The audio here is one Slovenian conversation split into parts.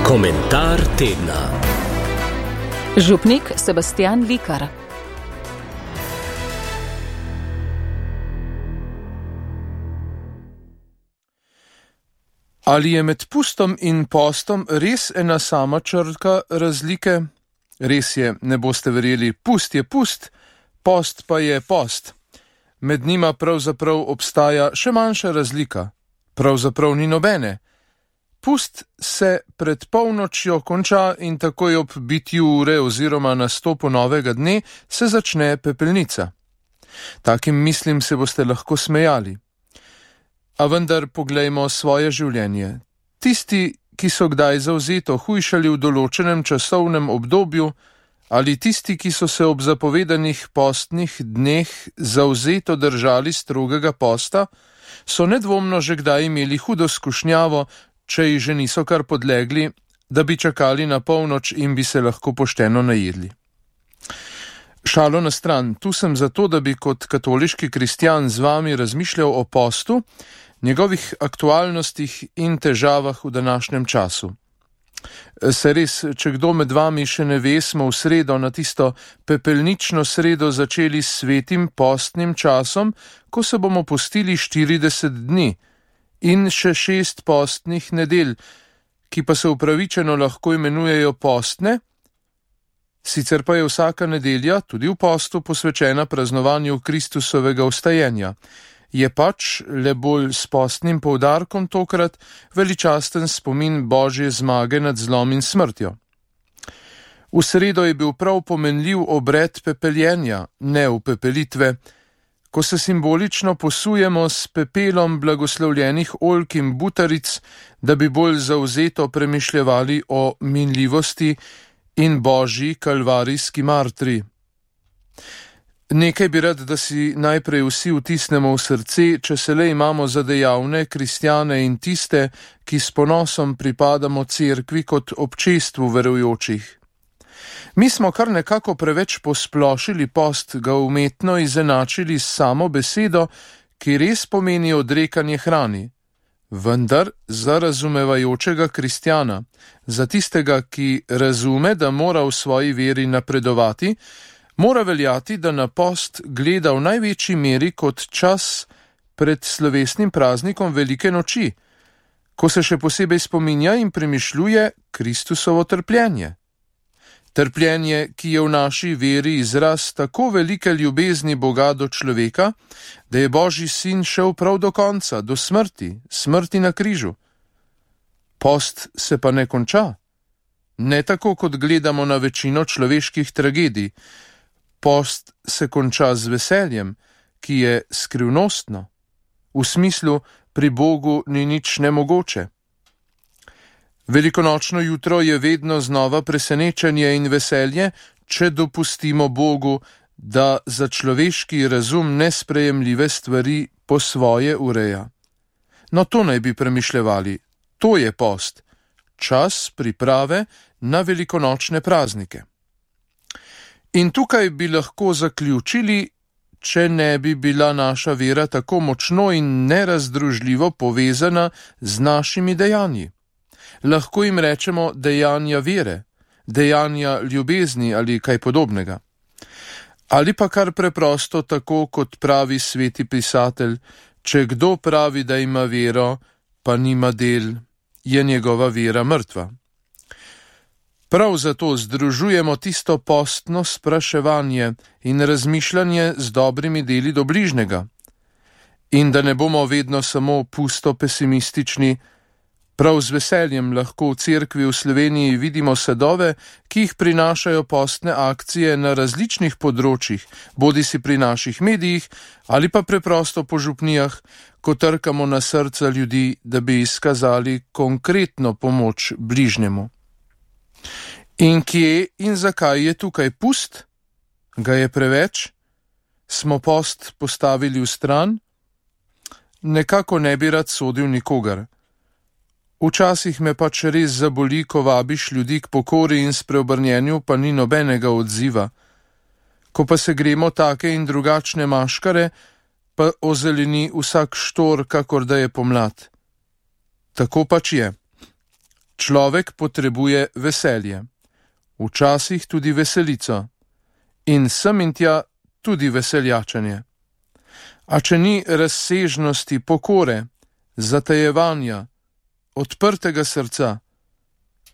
Komentar tedna. Župnik Sebastian Likar. Ali je med pustom in postom res ena sama črka razlike? Res je, ne boste verjeli, pust je pust, post pa je post. Med njima pravzaprav obstaja še manjša razlika. Pravzaprav ni nobene. Pust se pred polnočjo konča in takoj ob bitju ure oziroma nastopu novega dne se začne pepelnica. Takim mislim se boste lahko smejali. A vendar poglejmo svoje življenje. Tisti, ki so kdaj zavzeto hujšali v določenem časovnem obdobju, ali tisti, ki so se ob zapovedanih postnih dneh zavzeto držali strogega posta, so nedvomno že kdaj imeli hudo skušnjavo, če ji že niso kar podlegli, da bi čakali na polnoč in bi se lahko pošteno najedli. Šalo na stran, tu sem zato, da bi kot katoliški kristjan z vami razmišljal o postu, njegovih aktualnostih in težavah v današnjem času. Se res, če kdo med vami še ne ve, smo v sredo na tisto pepelnično sredo začeli s svetim postnim časom, ko se bomo postili 40 dni in še 6 postnih nedelj, ki pa se upravičeno lahko imenujejo postne, sicer pa je vsaka nedelja tudi v postu posvečena praznovanju Kristusovega vstajenja. Je pač le bolj s postnim poudarkom tokrat veličasten spomin Božje zmage nad zlom in smrtjo. V sredo je bil prav pomenljiv obred pepeljenja, ne upepelitve, ko se simbolično posujemo s pepelom blagoslovljenih oljk in butaric, da bi bolj zavzeto premišljevali o minljivosti in Božji kalvarijski martri. Nekaj bi rad, da si najprej vsi vtisnemo v srce, če se le imamo za dejavne kristjane in tiste, ki s ponosom pripadamo cerkvi kot občestvu verujočih. Mi smo kar nekako preveč posplošili post, ga umetno izenačili s samo besedo, ki res pomeni odrekanje hrani. Vendar za razumevajočega kristjana, za tistega, ki razume, da mora v svoji veri napredovati, mora veljati, da na post gleda v največji meri kot čas pred slovesnim praznikom Velike noči, ko se še posebej spominja in premišljuje Kristusovo trpljenje. Trpljenje, ki je v naši veri izraz tako velike ljubezni Boga do človeka, da je Božji sin šel prav do konca, do smrti, smrti na križu. Post se pa ne konča. Ne tako, kot gledamo na večino človeških tragedij. Post se konča z veseljem, ki je skrivnostno. V smislu, pri Bogu ni nič nemogoče. Velikonočno jutro je vedno znova presenečenje in veselje, če dopustimo Bogu, da za človeški razum nesprejemljive stvari po svoje ureja. No, to naj bi premišljevali. To je post. Čas priprave na velikonočne praznike. In tukaj bi lahko zaključili, če ne bi bila naša vera tako močno in nerazdružljivo povezana z našimi dejanji. Lahko jim rečemo dejanja vere, dejanja ljubezni ali kaj podobnega. Ali pa kar preprosto tako, kot pravi sveti pisatelj, če kdo pravi, da ima vero, pa nima del, je njegova vera mrtva. Prav zato združujemo tisto postno spraševanje in razmišljanje z dobrimi deli do bližnjega. In da ne bomo vedno samo pusto pesimistični, prav z veseljem lahko v cerkvi v Sloveniji vidimo sadove, ki jih prinašajo postne akcije na različnih področjih, bodisi pri naših medijih ali pa preprosto po župnijah, ko trkamo na srca ljudi, da bi izkazali konkretno pomoč bližnjemu. In kje in zakaj je tukaj pust? Ga je preveč? Smo post postavili v stran? Nekako ne bi rad sodil nikogar. Včasih me pač res zaboli, ko vabiš ljudi k pokori in spreobrnjenju, pa ni nobenega odziva. Ko pa se gremo take in drugačne maškare, pa ozeleni vsak štor, kakor da je pomlad. Tako pač je. Človek potrebuje veselje, včasih tudi veselico in sem in tja tudi veseljačenje. A če ni razsežnosti pokore, zatajevanja, odprtega srca,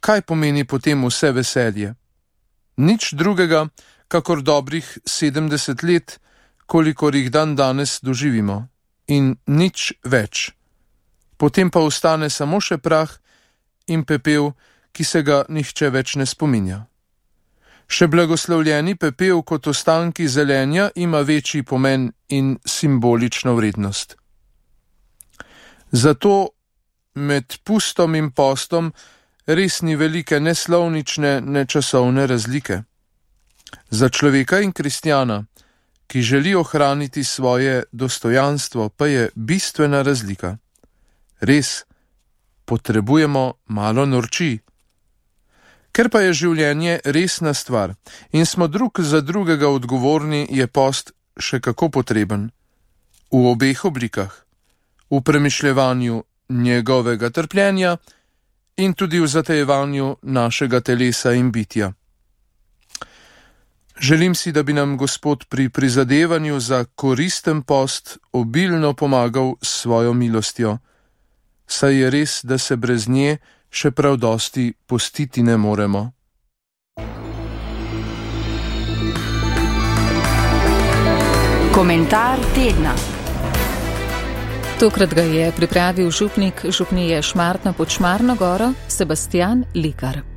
kaj pomeni potem vse veselje? Nič drugega, kakor dobrih 70 let, kolikor jih dan danes doživimo, in nič več. Potem pa ostane samo še prah in pepel, ki se ga nihče več ne spominja. Še blagoslovljeni pepel kot ostanki zelenja ima večji pomen in simbolično vrednost. Zato med pustom in postom res ni velike ne slovnične, ne časovne razlike. Za človeka in kristjana, ki želi ohraniti svoje dostojanstvo, pa je bistvena razlika. Res, potrebujemo malo norčij. Ker pa je življenje resna stvar in smo drug za drugega odgovorni, je post še kako potreben. V obeh oblikah. V premišljevanju njegovega trpljenja in tudi v zatajevanju našega telesa in bitja. Želim si, da bi nam Gospod pri prizadevanju za koristen post obilno pomagal s svojo milostjo, saj je res, da se brez nje še prav dosti postiti ne moremo. Komentar tedna. Tokrat ga je pripravil župnik župnije Šmartno pod Šmarno goro Sebastijan Likar.